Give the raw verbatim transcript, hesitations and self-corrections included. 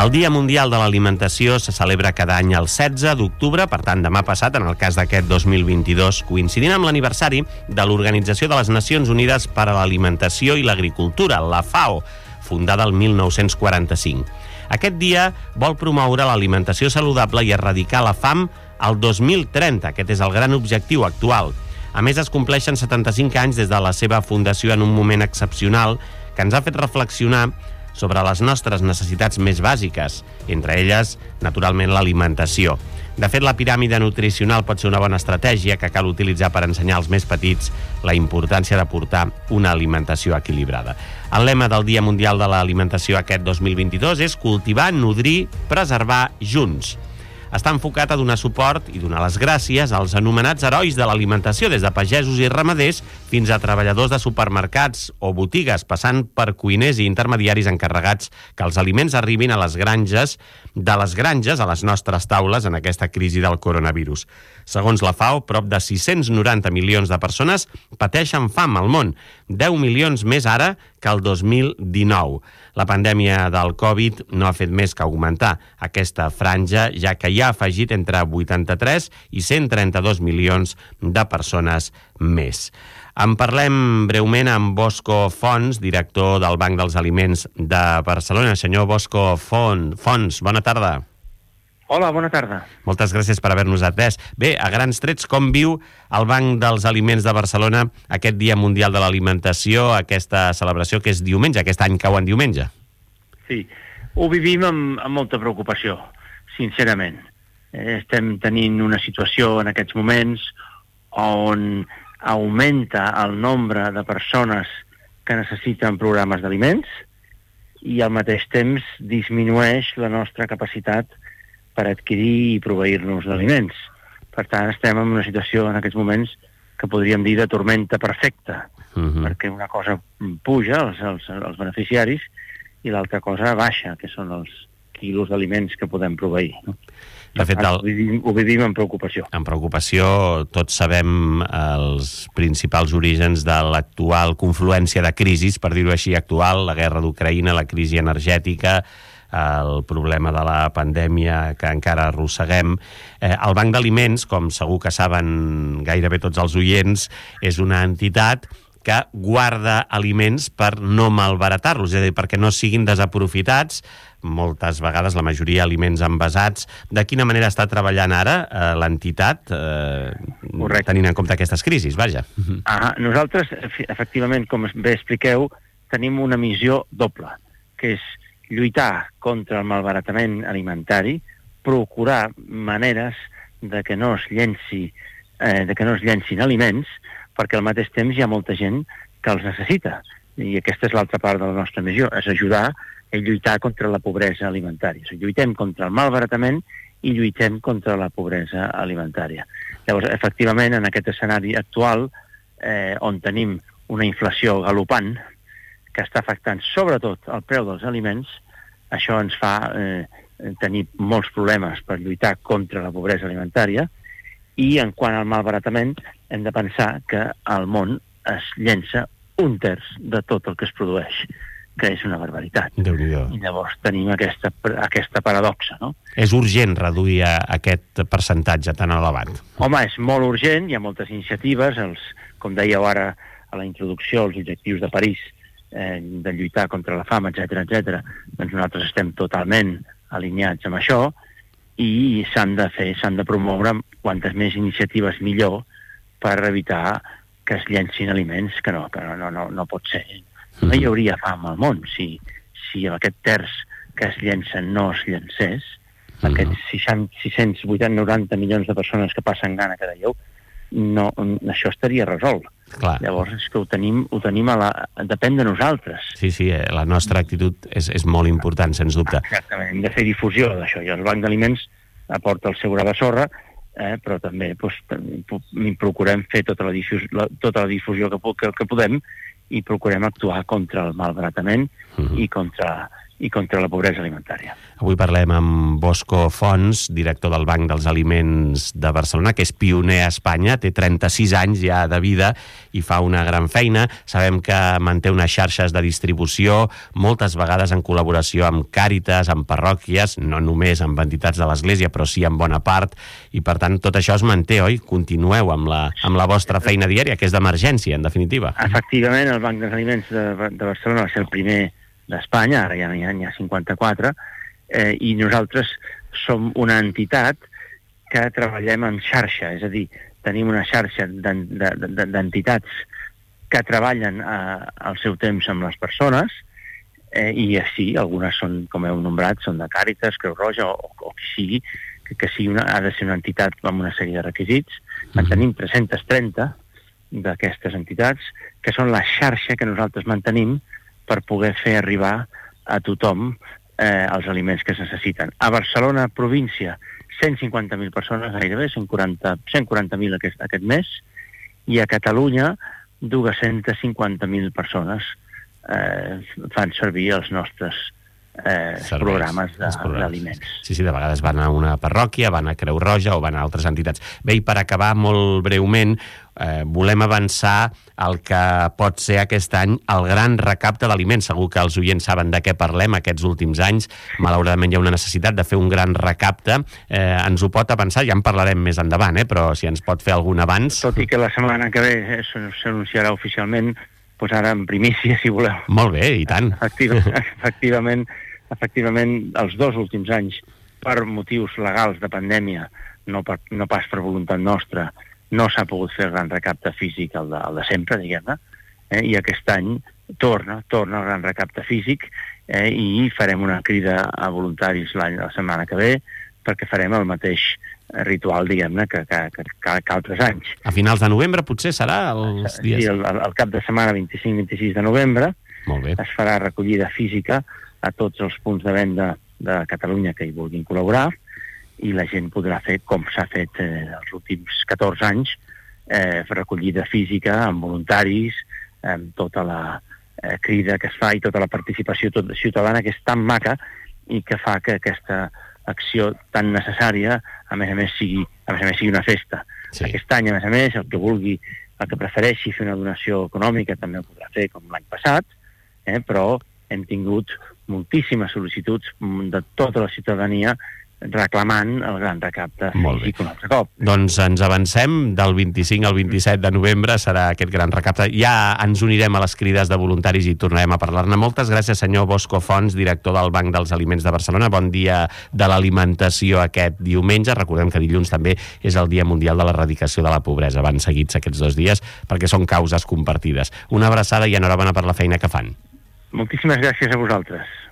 El Dia Mundial de l'Alimentació se celebra cada any el setze d'octubre, per tant, demà passat, en el cas d'aquest dos mil vint-i-dos, coincidint amb l'aniversari de l'Organització de les Nacions Unides per a l'Alimentació i l'Agricultura, la FAO, fundada el mil nou-cents quaranta-cinc. Aquest dia vol promoure l'alimentació saludable i erradicar la fam al dos mil trenta. Aquest és el gran objectiu actual. A més, es compleixen setanta-cinc anys des de la seva fundació en un moment excepcional que ens ha fet reflexionar sobre les nostres necessitats més bàsiques, entre elles, naturalment, l'alimentació. De fet, la piràmide nutricional pot ser una bona estratègia que cal utilitzar per ensenyar als més petits la importància de portar una alimentació equilibrada. El lema del Dia Mundial de l'Alimentació aquest dos mil vint-i-dos és cultivar, nodrir, preservar junts. Està enfocat a donar suport i donar les gràcies als anomenats herois de l'alimentació, des de pagesos i ramaders fins a treballadors de supermercats o botigues, passant per cuiners i intermediaris encarregats que els aliments arribin a les granges, de les granges a les nostres taules en aquesta crisi del coronavirus. Segons la FAO, prop de sis-cents noranta milions de persones pateixen fam al món, deu milions més ara que el dos mil dinou. La pandèmia del Covid no ha fet més que augmentar aquesta franja, ja que hi ha afegit entre vuitanta-tres i cent trenta-dos milions de persones més. En parlem breument amb Bosco Fons, director del Banc dels Aliments de Barcelona. Senyor Bosco Fons, bona tarda. Hola, bona tarda. Moltes gràcies per haver-nos atès. Bé, a grans trets, com viu el Banc dels Aliments de Barcelona aquest Dia Mundial de l'Alimentació, aquesta celebració que és diumenge, aquest any cau en diumenge? Sí, ho vivim amb, amb molta preocupació, sincerament. Eh, estem tenint una situació en aquests moments on augmenta el nombre de persones que necessiten programes d'aliments i al mateix temps disminueix la nostra capacitat per adquirir i proveir-nos d'aliments. Per tant, estem en una situació en aquests moments que podríem dir de tormenta perfecta, uh-huh. perquè una cosa puja, els, els, els beneficiaris, i l'altra cosa baixa, que són els quilos d'aliments que podem proveir. No? De fet, el... ho, vivim, ho vivim amb preocupació. En preocupació, tots sabem els principals orígens de l'actual confluència de crisis, per dir-ho així, actual, la guerra d'Ucraïna, la crisi energètica, el problema de la pandèmia que encara arrosseguem. Eh, el Banc d'Aliments, com segur que saben gairebé tots els oients, és una entitat que guarda aliments per no malbaratar-los, és a dir, perquè no siguin desaprofitats, moltes vegades, la majoria, aliments envasats. De quina manera està treballant ara eh, l'entitat, eh, tenint en compte aquestes crisis, vaja? Ah, nosaltres, efectivament, com bé expliqueu, tenim una missió doble, que és lluitar contra el malbaratament alimentari, procurar maneres de que no es llenci, eh, de que no es llencin aliments, perquè al mateix temps hi ha molta gent que els necessita. I aquesta és l'altra part de la nostra missió, és ajudar a lluitar contra la pobresa alimentària. O sigui, lluitem contra el malbaratament i lluitem contra la pobresa alimentària. Llavors, efectivament, en aquest escenari actual, eh, on tenim una inflació galopant, que està afectant sobretot el preu dels aliments, això ens fa eh, tenir molts problemes per lluitar contra la pobresa alimentària, i en quant al malbaratament hem de pensar que al món es llença un terç de tot el que es produeix, que és una barbaritat. Déu-n'hi-do. I llavors tenim aquesta, aquesta paradoxa, no? És urgent reduir aquest percentatge tan elevat? Home, és molt urgent, hi ha moltes iniciatives, els, com dèieu ara a la introducció, els objectius de París, Eh, de lluitar contra la fam, etcètera, etcètera. Doncs nosaltres estem totalment alineats amb això i s'han de fer, s'han de promoure quantes més iniciatives millor per evitar que es llencin aliments, que no, que no, no, no, no pot ser. No hi hauria fam al món si, si aquest terç que es llencen no es llencés. Aquests sis-cents vuitanta noranta milions de persones que passen gana cada dia, no, això estaria resolt. Clar. Llavors és que ho tenim, ho tenim a la... depèn de nosaltres. Sí, sí, la nostra actitud és, és molt important, sens dubte. Exactament, hem de fer difusió d'això, i el Banc d'Aliments aporta el seu gra de sorra, eh, però també doncs, procurem fer tota la difusió, la, tota la difusió que, que, que podem, i procurem actuar contra el malbaratament uh-huh. i contra i contra la pobresa alimentària. Avui parlem amb Bosco Fons, director del Banc dels Aliments de Barcelona, que és pioner a Espanya, té trenta-sis anys ja de vida i fa una gran feina. Sabem que manté unes xarxes de distribució, moltes vegades en col·laboració amb Càritas, amb parròquies, no només amb entitats de l'Església, però sí en bona part, i per tant tot això es manté, oi? Continueu amb la, amb la vostra feina diària, que és d'emergència, en definitiva. Efectivament, el Banc dels Aliments de, de Barcelona va ser el primer d'Espanya, ara ja n'hi ha, ha cinquanta-quatre, eh, i nosaltres som una entitat que treballem en xarxa, és a dir, tenim una xarxa d'entitats que treballen eh, al seu temps amb les persones, eh, i sí, algunes són, com heu nombrat, són de Càritas, Creu Roja, o, o qui sigui, que, que sigui una, ha de ser una entitat amb una sèrie de requisits. En tenim tres-centes trenta d'aquestes entitats, que són la xarxa que nosaltres mantenim per poder fer arribar a tothom eh, els aliments que es necessiten. A Barcelona, província, cent cinquanta mil persones, gairebé, cent quaranta mil aquest, aquest mes, i a Catalunya, dos-centes cinquanta mil persones eh, fan servir els nostres eh, Serveis, programes d'aliments. Sí, sí, de vegades van a una parròquia, van a Creu Roja o van a altres entitats. Bé, i per acabar molt breument, eh, volem avançar el que pot ser aquest any el gran recapte d'aliments. Segur que els oients saben de què parlem aquests últims anys. Malauradament hi ha una necessitat de fer un gran recapte. Eh, ens ho pot avançar, ja en parlarem més endavant, eh, però si ens pot fer algun abans... Tot i que la setmana que ve eh, s'anunciarà oficialment, doncs ara en primícia, si voleu. Molt bé, i tant. Efectivament, efectivament, efectivament, els dos últims anys, per motius legals de pandèmia, no, per, no pas per voluntat nostra, no s'ha pogut fer el gran recapte físic, el de, el de sempre, diguem-ne, eh? I aquest any torna, torna el gran recapte físic, eh? I farem una crida a voluntaris l'any la setmana que ve, perquè farem el mateix ritual, diguem-ne, que, que, que, que altres anys. A finals de novembre potser serà els dies? Sí, el, el cap de setmana vint-i-cinc vint-i-sis de novembre. Molt bé. Es farà recollida física a tots els punts de venda de Catalunya que hi vulguin col·laborar, i la gent podrà fer, com s'ha fet eh, els últims catorze anys, eh, recollida física amb voluntaris, amb tota la eh, crida que es fa i tota la participació tot, ciutadana, que és tan maca i que fa que aquesta acció tan necessària, a més a més, sigui, a més, a més, sigui una festa. Sí. Aquest any, a més a més, el que vulgui, el que prefereixi fer una donació econòmica també ho podrà fer com l'any passat, eh, però hem tingut moltíssimes sol·licituds de tota la ciutadania reclamant el gran recapte físic un altre cop. Doncs ens avancem, del vint-i-cinc al vint-i-set de novembre serà aquest gran recapte. Ja ens unirem a les crides de voluntaris i tornarem a parlar-ne. Moltes gràcies, senyor Bosco Fons, director del Banc dels Aliments de Barcelona. Bon dia de l'alimentació aquest diumenge. Recordem que dilluns també és el Dia Mundial de l'Erradicació de la Pobresa. Van seguits aquests dos dies perquè són causes compartides. Una abraçada i enhorabona per la feina que fan. Moltíssimes gràcies a vosaltres.